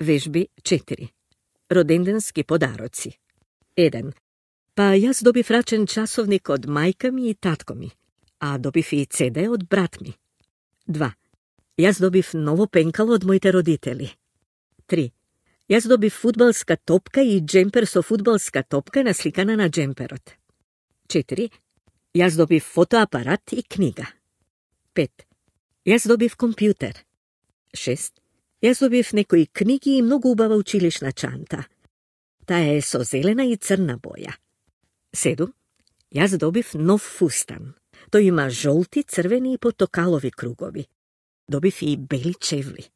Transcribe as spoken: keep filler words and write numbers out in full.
Вежби четири. Роденденски подароци. еден. Па јас добив рачен часовник од мајка ми и татко ми, а добив и цеде од брат ми. два. Јас добив ново пенкало од моите родители. три. Јас добив фудбалска топка и джемпер со фудбалска топка насликана на джемперот. четири. Јас добив фотоапарат и книга. пет. Јас добив компјутер. шест. Јас добив некои книги и многу убава училишна чанта. Таа е со зелена и црна боја. седум. Јас добив нов фустан. Тој има жолти, црвени и потокалови кругови. Добив и бели чевли.